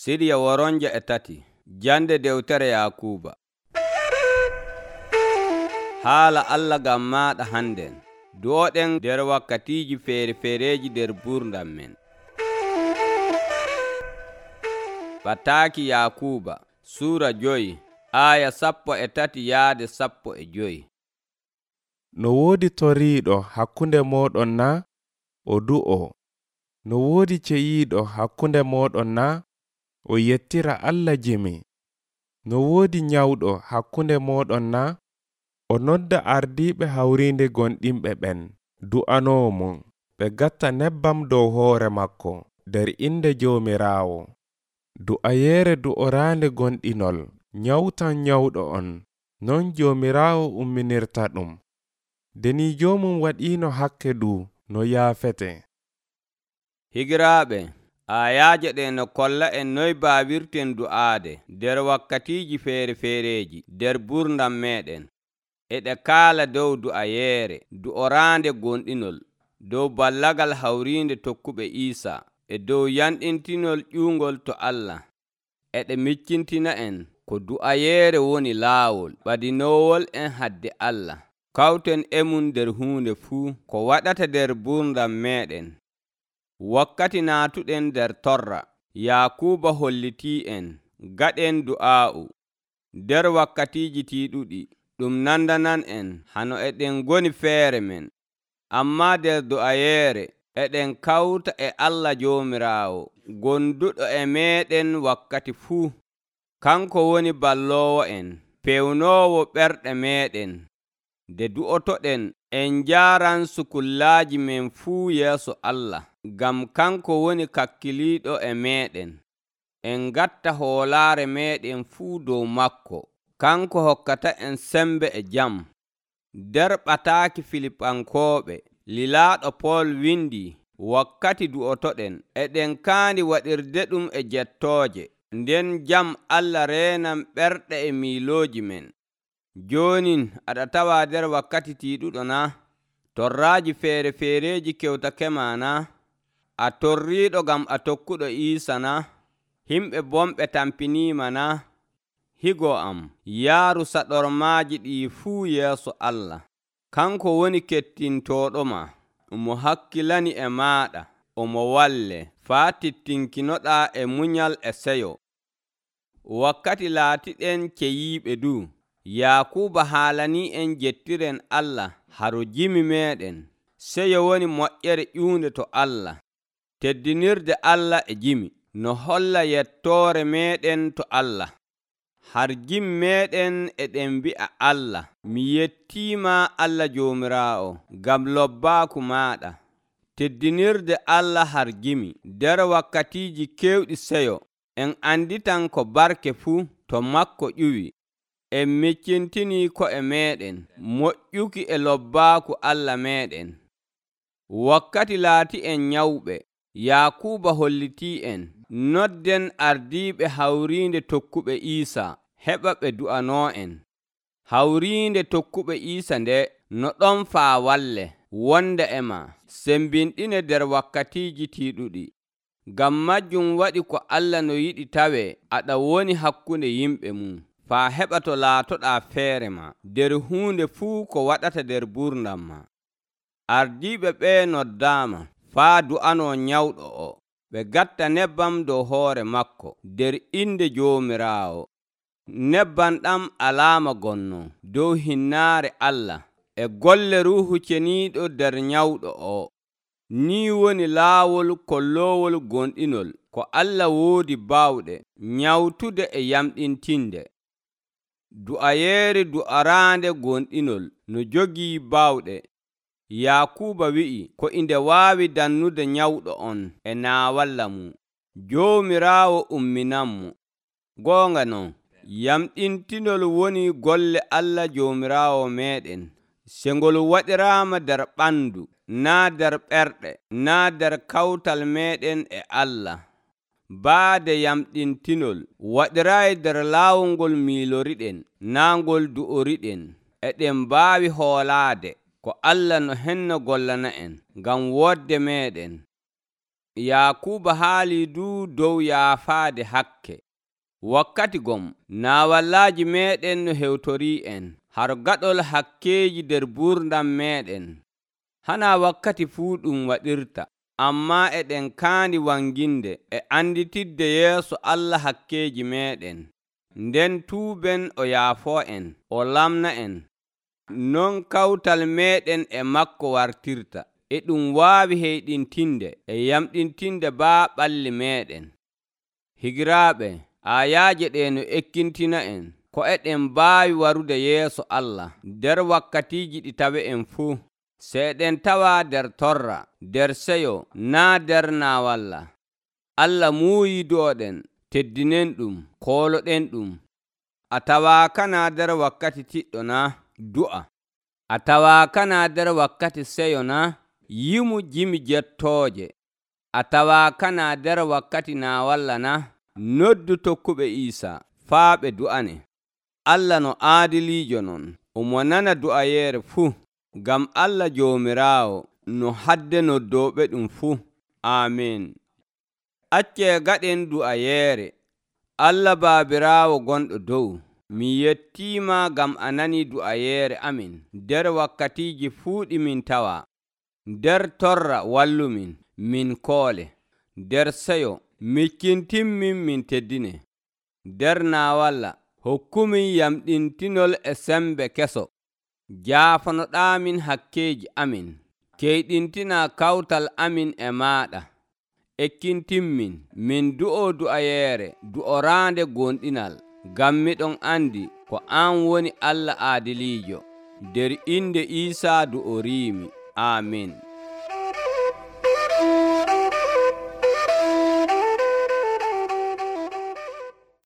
Sirya woronje e tati. Jande dewtere Yakuuba. Haala Allah ngam maaɗa hannden. Du'oɗen nder wakkatiiji feere-feereeji nder buurdam men. Bataaki Yakuuba Suura 5 aya 13 yaade 15. No woodi toriiɗo hakkunde mooɗon na? O du'o. No woodi ceyiiɗo hakkunde mooɗon na? O yettira Allah jimi. No woodi nyawɗo hakkunde mooɗon na? O nodda ardiiɓe hawriinde gonɗinɓe ɓen du'anoo mum, ɓe gatta nebbam dow hoore makko nder inde Joomiraawo. Du'ayeere du'oraande gonɗinol nyawtan nyawɗo on, non Joomiraawo umminirta ɗum. Deni joomum waɗiino hakke du no yaafete. Higiraaɓe, ayaaje ɗe no kolla en noy baawirten du'aade nder wakkatiiji feere-feereeji nder buurdam meeɗen. E ɗe kaala dow du'ayeere du'oraande gonɗinol, dow ballagal hawriinde tokkuɓe Iisaa, e dow yanɗintinol ƴuungol to Allah. E ɗe miccintina en ko du'ayeere woni laawol ɓadinoowol en hadde Allah. Kawten e mum nder huunde fuu ko waɗata nder buurdam meeɗen. Wakkati naatuɗen nder torra, Yakuuba hollitii en gaɗen du'aa'u. Nder wakkatiiji tiiɗuɗi ɗum nandanan en hano eɗen ngoni feere men, ammaa nder du'ayeere eɗen kawta e Allah Joomiraawo gonduɗo e meeɗen wakkati fuu. Kanko woni balloowo en, pewnoowo ɓerɗe meeɗen. Nde du'otoɗen en njaaran sukullaaji men fuu yeeso Allah, ngam kanko woni kakkiliiɗo e meeɗen. En ngatta hoolaare meeɗen fuu dow makko. Kanko hokkata en sembe e jam. Nder ɓataaki Filipankooɓe, lilaaɗo Pool windi, wakkati du'otoɗen eɗen kaandi waɗirde ɗum e jettooje, nden jam Allah reenan ɓerɗe e miilooji men. Joonin aɗa tawa nder wakkati tiiɗuɗo na? Torraaji feere-feereeji kewtake ma na? A torriiɗo ngam a tokkuɗo Iisa na? Himɓe bomɓe tampiniima na? Higo am, yaaru saɗormaaji ɗii fuu yeeso Allah. Kanko woni kettintooɗoma, mo hakkilani e maaɗa, omo walle faa tittinkinoɗaa e munyal e seyo. Wakkati laatiɗen ceyiiɓe du, Yakuuba haalanii en jettiren Allah haro jimi meeɗen. Seyo woni moƴƴere ƴuunde to Allah. Teddinirde Allah e jimi no holla yettoore meeɗen to Allah. Har jimi meeɗen eɗen mbi'a Allah, mi yettiima Allah Joomiraawo ngam lobbaaku maaɗa. Teddinirde Allah har jimi nder wakkatiiji keewɗi seyo, en anditan ko barke fuu to makko ƴuwi. En miccintinii ko'e meeɗen moƴƴuki e lobbaaku Allah meeɗen. Wakkati laati en nyawɓe, Yakuuba hollitii en nodden ardiiɓe hawriinde tokkuɓe Iisaa heɓa ɓe du'anoo en. Hawriinde tokkuɓe Iisa nde no ɗon faa walle wonda e ma, sembinɗine nder wakkatiiji tiiɗuɗi. Ngam majjum waɗi ko Allah no yiɗi tawee aɗa woni hakkunde yimɓe mum, faa heɓa to laatoɗaa feere ma nder huunde fuu ko waɗata nder buurdam ma. Ardiiɓe ɓee noddaama faa du'anoo nyawɗo o, ɓe gatta nebbam dow hoore makko nder inde Joomiraawo. Nebbam ɗam alaama gonno dow hinnaare Allah e golle Ruuhu Ceniiɗo nder nyawɗo o. Nii woni laawol kolloowol gonɗinol ko Allah woodi baawɗe nyawtude e yamɗintinde. Du'ayeere du'araande gonɗinol no jogii baawɗe. Yakuuba wi'i ko inde waawi dannude nyawɗo on e naawalla mum. Joomiraawo umminanmo. Goonga non, yamɗintinol woni golle Allah Joomiraawo meeɗen. Se ngol waɗiraama nder ɓandu, naa nder ɓerɗe, naa nder kawtal meeɗen e Allah. Baade yamɗintinol waɗiraayi nder laawol ngol miiloriɗen, naa ngol du'oriɗen. Eɗen mbaawi hoolaade ko Allah no henno gollana en ngam woɗde meeɗen. Yakuba haali du dow yaafaade hakke. Wakkati gom naawallaaji meeɗen no hewtorii en haro gaɗol hakkeeji nder gurdam meeɗen. Hana wakkati fuu ɗum waɗirta, ammaa eɗen kaandi wanginde e anditidde yeeso Allah hakkeeji meeɗen. Nden tuuben o yaafoo en, o lamna en. Non kawtal meeɗen e makko wartirta. E ɗum waawi heyɗintinde e yamɗintinde ɓalli meeɗen. Higiraaɓe, ayaaje ɗe no ekkintina en ko eɗen mbaawi warude yeeso Allah nder wakkatiiji ɗi tawe en fuu. Seeɗen tawa nder torra, nder seyo, naa nder naawalla. Allah muuyi do'oɗen, teddinen ɗum, kooloɗen ɗum. A tawaaka naa nder wakkati tiɗɗo naa? Du'a. A tawaaka naa nder wakkati seyo naa? Yimu jimi jettooje. A tawaaka naa nder wakkati naawalla naa? Noddu tokkuɓe Iisaa faa ɓe du'ane. Allah no aadiliijo non, omo nana du'ayeere fuu. Ngam Allah Joomiraawo no hadde noddooɓe ɗum fuu. Aamin. Accee gaɗen du'ayeere. Allah Baabiraawo gonɗo dow, mi yettiima ngam a nanii du'ayeere amin nder wakkatiiji fuu ɗi min tawa. Nder torra wallumin, min koole. Nder seyo mikkintinmin min teddine. Nder naawalla hokkumin yamɗintinol e sembe keso. Jaafanoɗaamin hakkeeji amin. Keyɗintina kawtal amin e maaɗa. Ekkintinmin min du'o du'ayeere du'oraande gonɗinal. Ngam miɗon andi ko an woni Allah aadiliijo. Nder inde Iisaa du'oriimi. Amin.